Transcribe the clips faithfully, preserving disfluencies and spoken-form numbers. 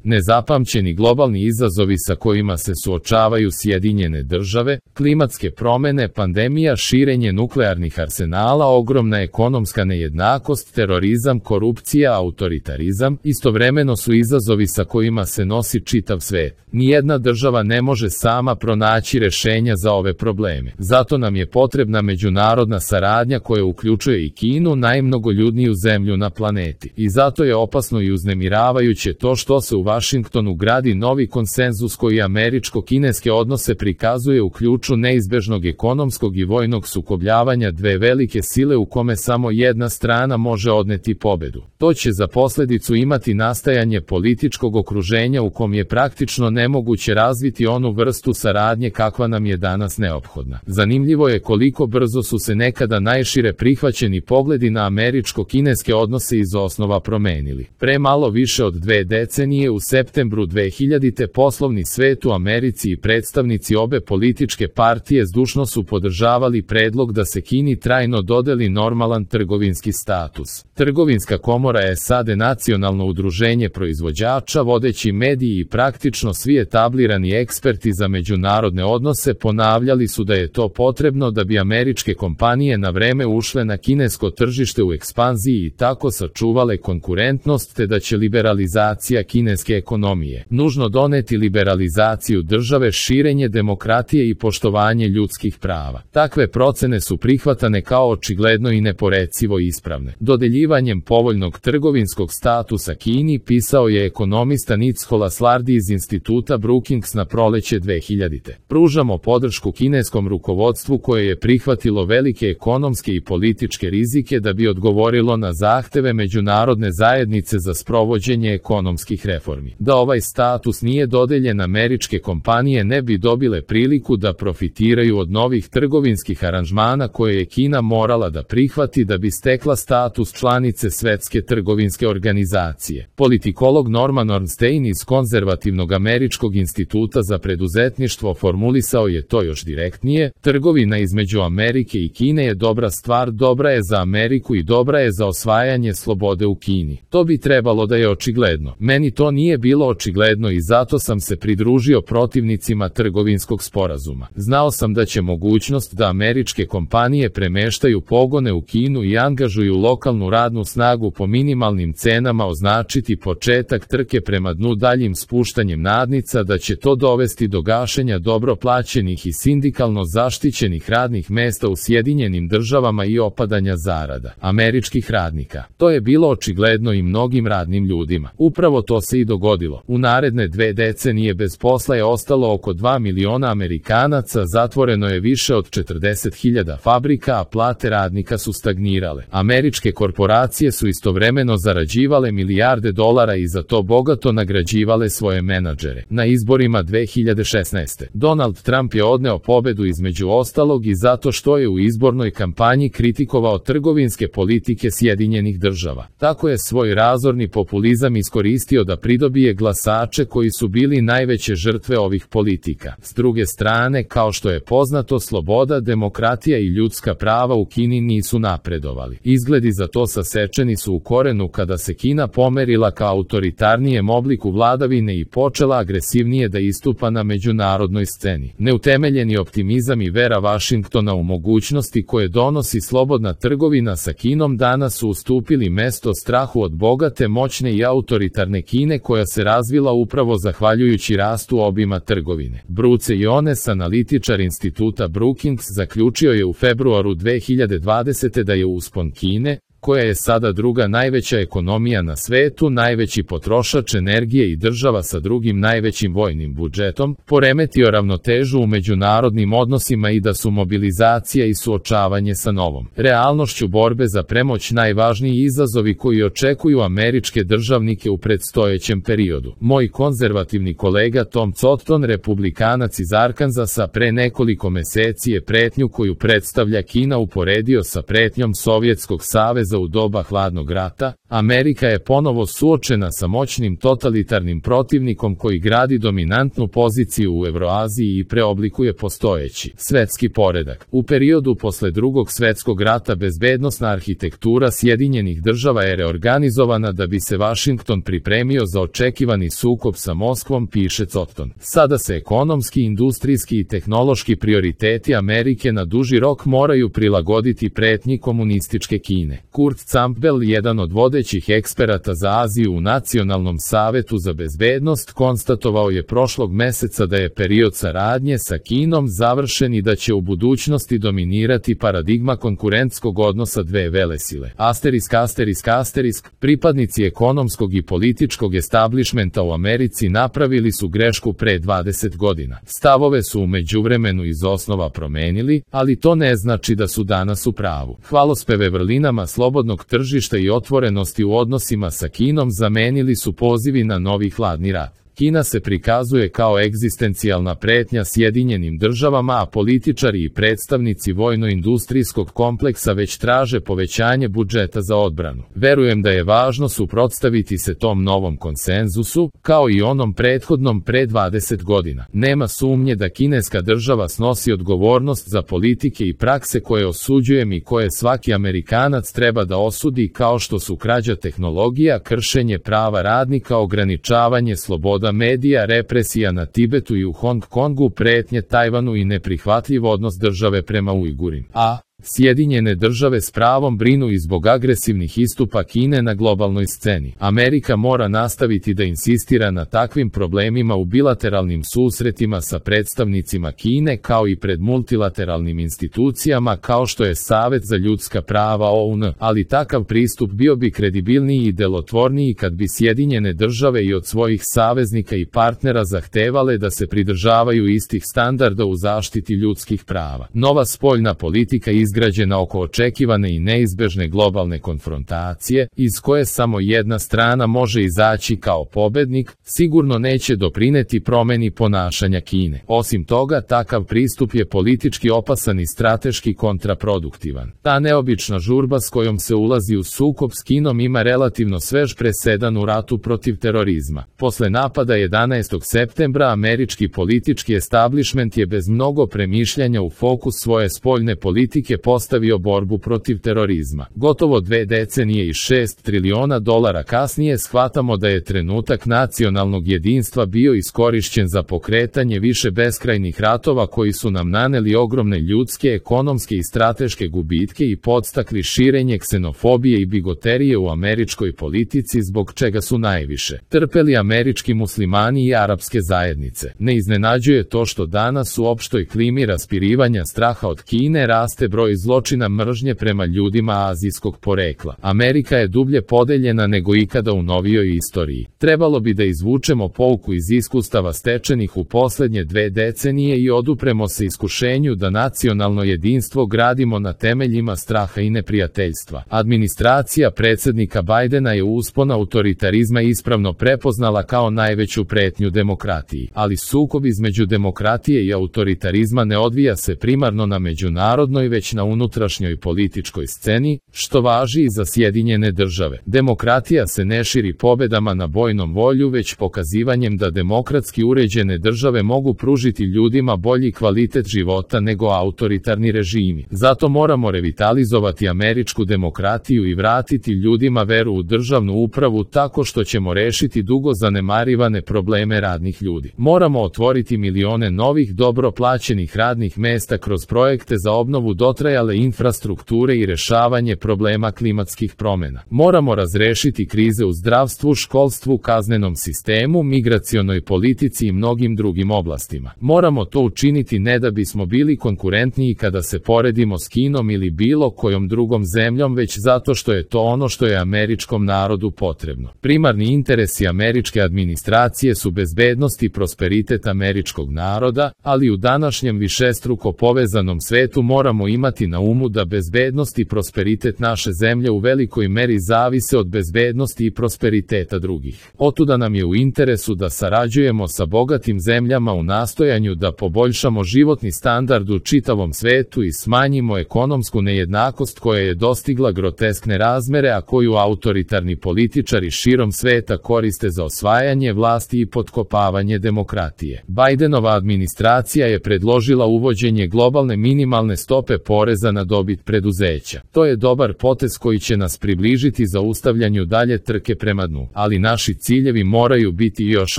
Nezapamćeni globalni izazovi sa kojima se suočavaju Sjedinjene države, klimatske promjene, pandemija, širenje nuklearnih arsenala, ogromna ekonomska nejednakost, terorizam, korupcija, autoritarizam, istovremeno su izazovi sa kojima se nosi čitav svet. Nijedna država ne može sama pronaći rješenja za ove probleme. Zato nam je potrebna međunarodna saradnja koja uključuje i Kinu, najmnogoljudniju zemlju na planeti. I zato je opasno i uznemiravajuće to što se u Vašingtonu gradi novi konsenzus koji američko-kineske odnose prikazuje u ključu neizbežnog ekonomskog i vojnog sukobljavanja dve velike sile u kome samo jedna strana može odneti pobedu. To će za posljedicu imati nastajanje političkog okruženja u kom je praktično nemoguće razviti onu vrstu saradnje kakva nam je danas neophodna. Zanimljivo je koliko brzo su se nekada najšire prihvaćeni pogledi na američko-kineske odnose iz osnova promenili. Pre malo više od dve decenije u septembru dve hiljadite poslovni svet u Americi i predstavnici obe političke partije zdušno su podržavali predlog da se Kini trajno dodeli normalan trgovinski status. Trgovinska komora S A D, nacionalno udruženje proizvođača, vodeći mediji i praktično svi etablirani eksperti za međunarodne odnose ponavljali su da je to potrebno da bi američke kompanije na vreme ušle na kinesko tržište u ekspanziji i tako sačuvale konkurentnost, te da će liberalizacija kineske ekonomije nužno doneti liberalizaciju države, širenje demokratije i poštovanje ljudskih prava. Takve procene su prihvatane kao očigledno i neporecivo ispravne. Dodeljivanjem povoljnog trgovinskog statusa Kini, pisao je ekonomista Nicolas Lardy iz instituta Brookings na proleće dve hiljadite. Pružamo podršku kineskom rukovodstvu koje je prihvatilo velike ekonomske i političke rizike da bi odgovorilo na zahteve međunarodne zajednice za sprovođenje ekonomskih reformi. Da ovaj status nije dodeljen, američke kompanije ne bi dobile priliku da profitiraju od novih trgovinskih aranžmana koje je Kina morala da prihvati da bi stekla status članice Svetske trgovinske organizacije. Politikolog Norman Ornstein iz konzervativnog američkog instituta za preduzetništvo formulisao je to još direktnije: trgovina između Amerike i Kine je dobra stvar, dobra je za Ameriku i dobra je za osvajanje slobode u Kini. To bi trebalo da je očigledno. Meni to nije bilo očigledno i zato sam se pridružio protivnicima trgovinskog sporazuma. Znao sam da će mogućnost da američke kompanije premeštaju pogone u Kinu i angažuju lokalnu radnu snagu po minimalnim cenama označiti početak trke prema dnu daljim spuštanjem nadnica, da će to dovesti do gašenja dobro plaćenih i sindikalno zaštićenih radnih mesta u Sjedinjenim državama i opadanja zarada američkih radnika. To je bilo očigledno i mnogim radnim ljudima. Upravo to se i dogodilo. U naredne dve decenije bez posla je ostalo oko dva miliona Amerikanaca, zatvoreno je više od četrdeset hiljada fabrika, a plate radnika su stagnirale. Američke korporacije su istovremeno zarađivale milijarde dolara i za to bogato nagrađivale svoje menadžere. Na izborima dve hiljade šesnaeste. Donald Trump je odneo pobedu između ostalog i zato što je u izbornoj kampanji kritikovao trgovinske politike Sjedinjenih država. Tako je svoj razorni populizam iskoristio da pridobije glasače koji su bili najveće žrtve ovih politika. S druge strane, kao što je poznato, sloboda, demokratija i ljudska prava u Kini nisu napredovali. Izgledi za to sasečeni su u korenu kada se Kina pomerila ka autoritarnijem obliku vladavine i počela agresivnije da istupa na međunarodnoj sceni. Neutemeljeni optimizam i vera Vašingtona u mogućnosti koje donosi slobodna trgovina sa Kinom danas su ustupili mesto strahu od bogate, moćne i autoritarne Kine koja se razvila upravo zahvaljujući rastu obima trgovine. Bruce Jones, analitičar instituta Brookings, zaključio je u februaru dve hiljade dvadesete da je uspon Kine, koja je sada druga najveća ekonomija na svetu, najveći potrošač energije i država sa drugim najvećim vojnim budžetom, poremetio ravnotežu u međunarodnim odnosima i da su mobilizacija i suočavanje sa novom realnošću borbe za premoć najvažniji izazovi koji očekuju američke državnike u predstojećem periodu. Moj konzervativni kolega Tom Cotton, republikanac iz Arkansasa, pre nekoliko meseci je pretnju koju predstavlja Kina uporedio sa pretnjom Sovjetskog saveza Saveza u doba hladnog rata, Amerika je ponovo suočena sa moćnim totalitarnim protivnikom koji gradi dominantnu poziciju u Evroaziji i preoblikuje postojeći svetski poredak. U periodu posle Drugog svetskog rata bezbednosna arhitektura Sjedinjenih država je reorganizovana da bi se Vašington pripremio za očekivani sukob sa Moskvom, piše Cotton. Sada se ekonomski, industrijski i tehnološki prioriteti Amerike na duži rok moraju prilagoditi pretnji komunističke Kine. Kurt Campbell, jedan od vodećih eksperata za Aziju u Nacionalnom savetu za bezbednost, konstatovao je prošlog meseca da je period saradnje sa Kinom završen i da će u budućnosti dominirati paradigma konkurentskog odnosa dve velesile. Asterisk, asterisk, asterisk, pripadnici ekonomskog i političkog establishmenta u Americi napravili su grešku pre dvadeset godina. Stavove su u međuvremenu iz osnova promenili, ali to ne znači da su danas u pravu. Hvalospeve vrlinama slobodnog tržišta i otvorenosti u odnosima sa Kinom zamenili su pozivi na novi hladni rat. Kina se prikazuje kao egzistencijalna pretnja Sjedinjenim državama, a političari i predstavnici vojno-industrijskog kompleksa već traže povećanje budžeta za odbranu. Verujem da je važno suprotstaviti se tom novom konsenzusu, kao i onom prethodnom pre dvadeset godina. Nema sumnje da kineska država snosi odgovornost za politike i prakse koje osuđujem i koje svaki Amerikanac treba da osudi, kao što su krađa tehnologija, kršenje prava radnika, ograničavanje sloboda medija, represija na Tibetu i u Hong Kongu, pretnje Tajvanu i neprihvatljiv odnos države prema Ujgurima. A Sjedinjene države s pravom brinu i zbog agresivnih istupa Kine na globalnoj sceni. Amerika mora nastaviti da insistira na takvim problemima u bilateralnim susretima sa predstavnicima Kine, kao i pred multilateralnim institucijama kao što je Savet za ljudska prava O U N, ali takav pristup bio bi kredibilniji i delotvorniji kad bi Sjedinjene države i od svojih saveznika i partnera zahtevale da se pridržavaju istih standarda u zaštiti ljudskih prava. Nova spoljna politika izgrađena oko očekivane i neizbežne globalne konfrontacije, iz koje samo jedna strana može izaći kao pobednik, sigurno neće doprineti promeni ponašanja Kine. Osim toga, takav pristup je politički opasan i strateški kontraproduktivan. Ta neobična žurba s kojom se ulazi u sukob s Kinom ima relativno svež presedan u ratu protiv terorizma. Posle napada jedanaestog septembra američki politički establishment je bez mnogo premišljanja u fokus svoje spoljne politike postavio borbu protiv terorizma. Gotovo dve decenije i šest triliona dolara kasnije shvatamo da je trenutak nacionalnog jedinstva bio iskorišćen za pokretanje više beskrajnih ratova koji su nam naneli ogromne ljudske, ekonomske i strateške gubitke i podstakli širenje ksenofobije i bigoterije u američkoj politici, zbog čega su najviše trpeli američki muslimani i arapske zajednice. Ne iznenađuje to što danas u opštoj klimi raspirivanja straha od Kine raste broj zločina mržnje prema ljudima azijskog porekla. Amerika je dublje podeljena nego ikada u novijoj istoriji. Trebalo bi da izvučemo pouku iz iskustava stečenih u poslednje dve decenije i odupremo se iskušenju da nacionalno jedinstvo gradimo na temeljima straha i neprijateljstva. Administracija predsednika Bajdena je uspon autoritarizma ispravno prepoznala kao najveću pretnju demokratiji, ali sukob između demokratije i autoritarizma ne odvija se primarno na međunarodnoj, već na unutrašnjoj političkoj sceni, što važi i za Sjedinjene države. Demokratija se ne širi pobedama na bojnom volju, već pokazivanjem da demokratski uređene države mogu pružiti ljudima bolji kvalitet života nego autoritarni režimi. Zato moramo revitalizovati američku demokratiju i vratiti ljudima veru u državnu upravu tako što ćemo rešiti dugo zanemarivane probleme radnih ljudi. Moramo otvoriti milione novih dobro plaćenih radnih mesta kroz projekte za obnovu dotrajale infrastrukture i rešavanje problema klimatskih promena. Moramo razrešiti krize u zdravstvu, školstvu, kaznenom sistemu, migracionoj politici i mnogim drugim oblastima. Moramo to učiniti ne da bismo bili konkurentniji kada se poredimo s Kinom ili bilo kojom drugom zemljom, već zato što je to ono što je američkom narodu potrebno. Primarni interesi američke administracije su bezbednost i prosperitet američkog naroda, ali u današnjem višestruko povezanom svetu moramo imati imati na umu da bezbednost i prosperitet naše zemlje u velikoj meri zavise od bezbednosti i prosperiteta drugih. Otuda nam je u interesu da sarađujemo sa bogatim zemljama u nastojanju da poboljšamo životni standard u čitavom svetu i smanjimo ekonomsku nejednakost koja je dostigla groteskne razmere, a koju autoritarni političari širom sveta koriste za osvajanje vlasti i potkopavanje demokratije. Bajdenova administracija je predložila uvođenje globalne minimalne stope poreza na dobit preduzeća. To je dobar potez koji će nas približiti zaustavljanju dalje trke prema dnu, ali naši ciljevi moraju biti još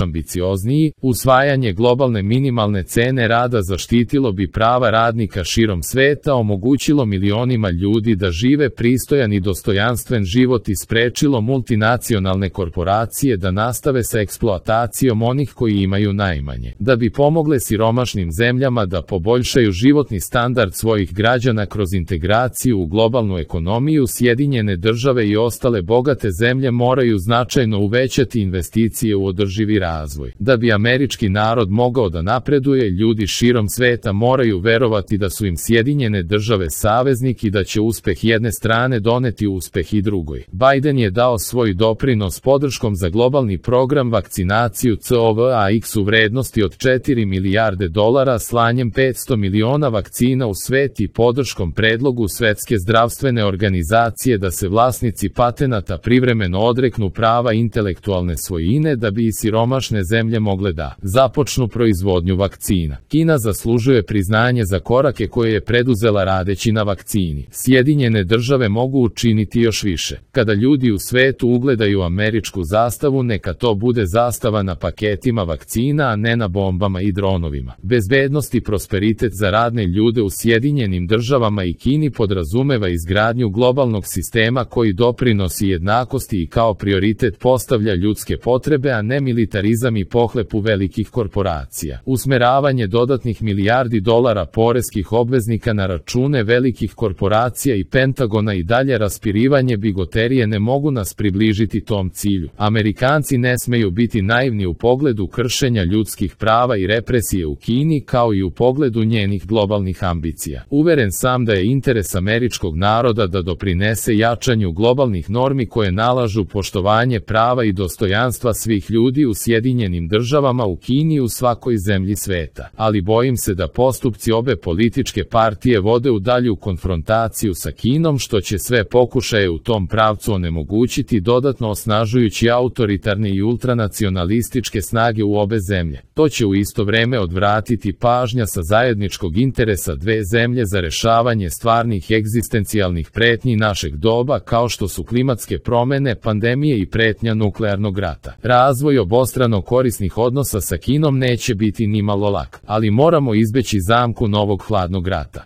ambiciozniji. Usvajanje globalne minimalne cene rada zaštitilo bi prava radnika širom sveta, omogućilo milionima ljudi da žive pristojan i dostojanstven život i sprečilo multinacionalne korporacije da nastave sa eksploatacijom onih koji imaju najmanje. Da bi pomogle siromašnim zemljama da poboljšaju životni standard svojih građana kroz integraciju u globalnu ekonomiju, Sjedinjene države i ostale bogate zemlje moraju značajno uvećati investicije u održivi razvoj. Da bi američki narod mogao da napreduje, ljudi širom sveta moraju verovati da su im Sjedinjene države saveznik i da će uspeh jedne strane doneti uspeh i drugoj. Biden je dao svoj doprinos podrškom za globalni program vakcinaciju C O V A X u vrednosti od četiri milijarde dolara slanjem petsto miliona vakcina u svet i podrškom predlogu Svetske zdravstvene organizacije da se vlasnici patenata privremeno odreknu prava intelektualne svojine da bi i siromašne zemlje mogle da započnu proizvodnju vakcina. Kina zaslužuje priznanje za korake koje je preduzela radeći na vakcini. Sjedinjene države mogu učiniti još više. Kada ljudi u svetu ugledaju američku zastavu, neka to bude zastava na paketima vakcina, a ne na bombama i dronovima. Bezbednost i prosperitet za radne ljude u Sjedinjenim državama i Kini podrazumeva izgradnju globalnog sistema koji doprinosi jednakosti i kao prioritet postavlja ljudske potrebe, a ne militarizam i pohlepu velikih korporacija. Usmeravanje dodatnih milijardi dolara poreskih obveznika na račune velikih korporacija i Pentagona i dalje raspirivanje bigoterije ne mogu nas približiti tom cilju. Amerikanci ne smeju biti naivni u pogledu kršenja ljudskih prava i represije u Kini, kao i u pogledu njenih globalnih ambicija. Uveren sam da je interes američkog naroda da doprinese jačanju globalnih normi koje nalažu poštovanje prava i dostojanstva svih ljudi u Sjedinjenim državama, u Kini i u svakoj zemlji sveta. Ali bojim se da postupci obe političke partije vode u dalju konfrontaciju sa Kinom, što će sve pokušaje u tom pravcu onemogućiti, dodatno osnažujući autoritarne i ultranacionalističke snage u obe zemlje. To će u isto vreme odvratiti pažnja sa zajedničkog interesa dve zemlje za rešavanje stvarnih egzistencijalnih pretnji našeg doba, kao što su klimatske promene, pandemije i pretnja nuklearnog rata. Razvoj obostrano korisnih odnosa sa Kinom neće biti ni malo lak, ali moramo izbeći zamku novog hladnog rata.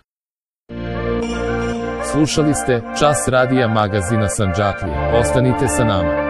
Slušali ste Čas radija magazina Sandžaklija. Ostanite sa nama.